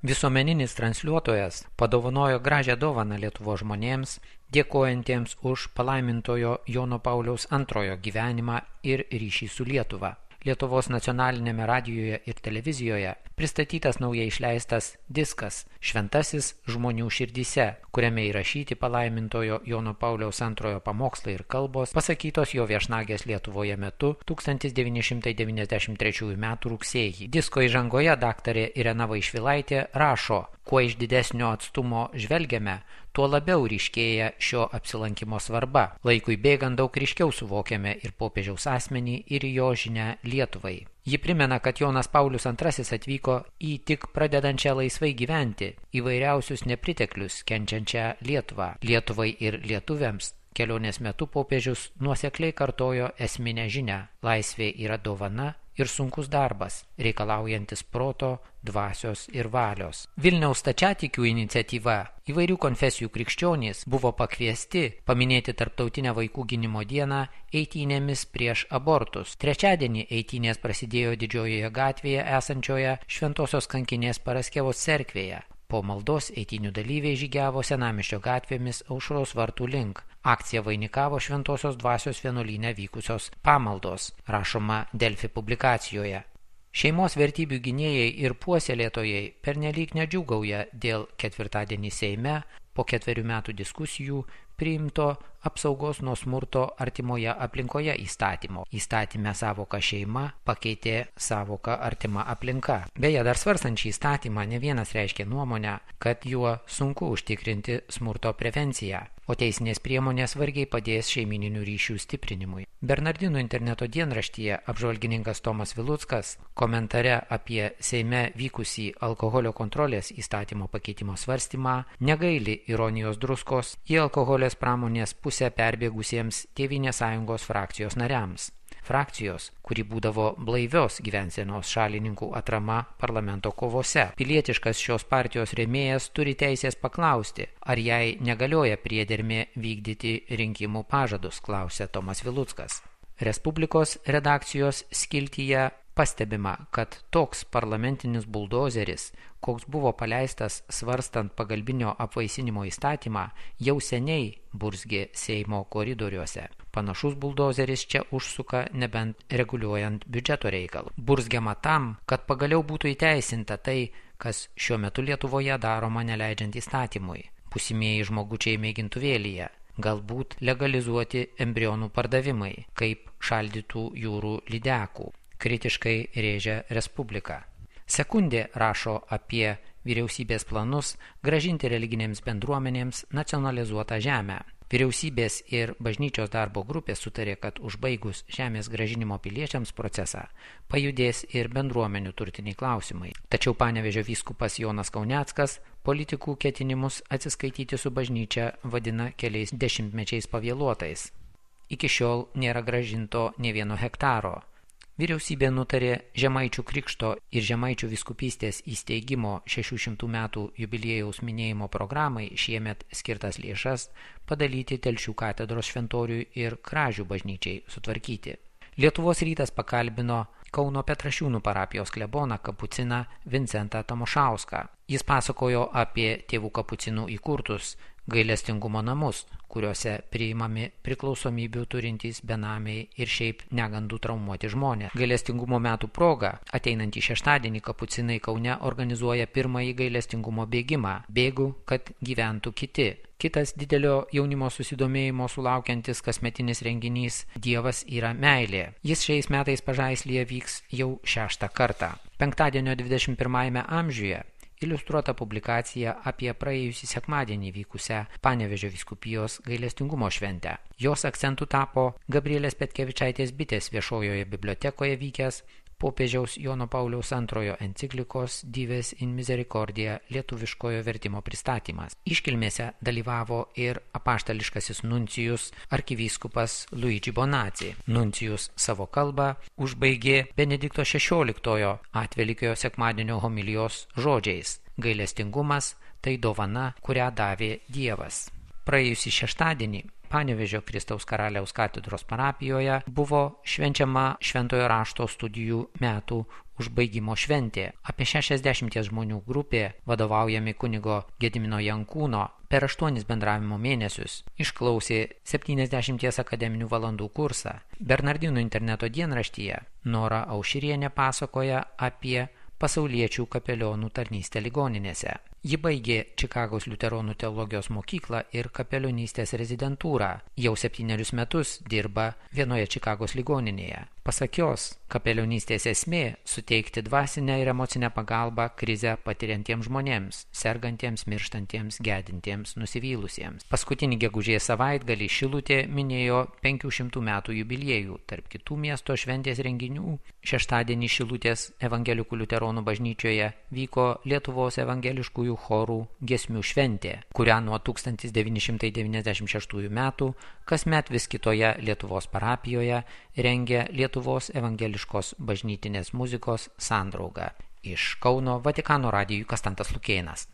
Visuomeninis transliuotojas padovanojo gražią dovaną Lietuvos žmonėms, dėkojantiems už palaimintojo Jono Pauliaus II gyvenimą ir ryšį su Lietuva. Lietuvos nacionalinėme radijoje ir televizijoje pristatytas naujai išleistas diskas Šventasis žmonių širdyse, kuriame įrašyti palaimintojo Jono Pauliaus II pamokslai ir kalbos pasakytos jo viešnagės Lietuvoje metu 1993 m. rugsėjį. Disko įžangoje daktarė Irena Vaišvilaitė rašo: kuo iš didesnio atstumo žvelgiame, tuo labiau ryškėja šio apsilankimo svarba. Laikui bėgant daug ryškiau suvokiame ir popiežiaus asmenį, ir jo žinią Lietuvai. Ji primena, kad Jonas Paulius II atvyko į tik pradedančią laisvai gyventi, įvairiausius nepriteklius kenčiančią Lietuvą. Lietuvai ir lietuviams kelionės metu popiežius nuosekliai kartojo esminę žinią: laisvė yra dovana ir sunkus darbas, reikalaujantis proto, dvasios ir valios. Vilniaus stačiatikių iniciatyva įvairių konfesijų krikščionys buvo pakviesti paminėti Tarptautinę vaikų gynimo dieną eitynėmis prieš abortus. Trečiadienį eitynės prasidėjo Didžiojoje gatvėje esančioje Šventosios kankinės Paraskevos cerkvėje. Po maldos eitynių dalyviai žygiavo Senamiesčio gatvėmis Aušros vartų link. Akciją vainikavo Šventosios dvasios vienuolyne vykusios pamaldos, rašoma Delfi publikacijoje. Šeimos vertybių gynėjai ir puoselėtojai pernelyg nedžiūgauja dėl ketvirtadienį Seime po 4 metų diskusijų priimto apsaugos nuo smurto artimoje aplinkoje įstatymo. Įstatyme savoką šeima pakeitė savoką artima aplinka. Beje, dar svarstant šį įstatymą, ne vienas reiškė nuomonę, kad juo sunku užtikrinti smurto prevenciją, o teisinės priemonės vargiai padės šeimininių ryšių stiprinimui. Bernardinų interneto dienraštyje apžvalgininkas Tomas Viluckas komentare apie Seime vykusį alkoholio kontrolės įstatymo pakeitimo svarstymą negaili ironijos druskos į alkoholės pramonės pusę perbėgusiems Tėvynės sąjungos frakcijos nariams. Frakcijos, kuri būdavo blaivios gyvensenos šalininkų atrama parlamento kovose. Pilietiškas šios partijos rėmėjas turi teisės paklausti, ar jai negalioja priedermė vykdyti rinkimų pažadus, klausė Tomas Viluckas. Respublikos redakcijos skiltyje pastebima, kad toks parlamentinis buldozeris, koks buvo paleistas svarstant pagalbinio apvaisinimo įstatymą, jau seniai burzgė Seimo koridoriuose. Panašus buldozeris čia užsuka nebent reguliuojant biudžeto reikalų. Burzgiama tam, kad pagaliau būtų įteisinta tai, kas šiuo metu Lietuvoje daroma neleidžiant įstatymui. Būsimieji žmogučiai mėgintuvėlyje. Galbūt legalizuoti embrionų pardavimai, kaip šaldytų jūrų lydekų. Kritiškai rėžia Respublika. Sekundė rašo apie vyriausybės planus grąžinti religinėms bendruomenėms nacionalizuotą žemę. Vyriausybės ir bažnyčios darbo grupė sutarė, kad užbaigus žemės grąžinimo piliečiams procesą pajudės ir bendruomenių turtiniai klausimai. Tačiau Panevėžio vyskupas Jonas Kauneckas politikų ketinimus atsiskaityti su bažnyčia vadina keliais dešimtmečiais pavėluotais. Iki šiol nėra grąžinto nė vieno hektaro. Vyriausybė nutarė Žemaičių krikšto ir Žemaičių vyskupystės įsteigimo 600 metų jubiliejaus minėjimo programai šiemet skirtas lėšas padalyti Telšių katedros šventoriui ir Kražių bažnyčiai sutvarkyti. Lietuvos rytas pakalbino Kauno Petrašiūnų parapijos kleboną kapuciną Vincentą Tamošauską. Jis pasakojo apie tėvų kapucinų įkurtus gailestingumo namus, kuriuose priimami priklausomybių turintys benamiai ir šiaip negandų traumuoti žmonės. Gailestingumo metų proga ateinantį šeštadienį kapucinai Kaune organizuoja pirmąjį gailestingumo bėgimą. Bėgu, kad gyventų kiti. Kitas didelio jaunimo susidomėjimo sulaukiantis kasmetinis renginys Dievas yra meilė. Jis šiais metais Pažaislyje vyks jau 6. kartą. Penktadienio 21 amžiuje iliustruota publikacija apie praėjusį sekmadienį vykusią Panevėžio vyskupijos gailestingumo šventę. Jos akcentu tapo Gabrielės Petkevičaitės Bitės viešojoje bibliotekoje vykęs popiežiaus Jono Pauliaus II enciklikos Dives in Misericordia lietuviškojo vertimo pristatymas. Iškilmėse dalyvavo ir apaštališkasis nuncijus arkivyskupas Luigi Bonazzi. Nuncijus savo kalbą užbaigė Benedikto XVI atvelykio sekmadienio homilijos žodžiais: gailestingumas tai dovana, kurią davė Dievas. Praėjusį šeštadienį Panevėžio Kristaus Karaliaus katedros parapijoje buvo švenčiama Šventojo rašto studijų metų užbaigimo šventė. Apie 60 žmonių grupė, vadovaujami kunigo Gedimino Jankūno, per 8 bendravimo mėnesius išklausė 70 akademinių valandų kursą. Bernardinų interneto dienraštyje Nora Aušrienė pasakoja apie pasauliečių kapelionų tarnystę ligoninėse. Ji baigė Čikagos liuteronų teologijos mokyklą ir kapelionystės rezidentūrą. Jau 7 metus dirba vienoje Čikagos ligoninėje. Pasak jos, kapelionystės esmė – suteikti dvasinę ir emocinę pagalbą krizę patiriantiems žmonėms, sergantiems, mirštantiems, gedintiems, nusivylusiems. Paskutinį gegužės savaitgalį Šilutė minėjo 500 metų jubiliejų. Tarp kitų miesto šventės renginių, šeštadienį Šilutės evangelikų liuteronų bažnyčioje vyko Lietuvos evangeliškųjų chorų giesmių šventė, kurią nuo 1996 metų kasmet vis kitoje Lietuvos parapijoje rengia Lietuvos evangeliškos bažnytinės muzikos sandrauga. Iš Kauno Vatikano radijui Kastantas Lukėnas.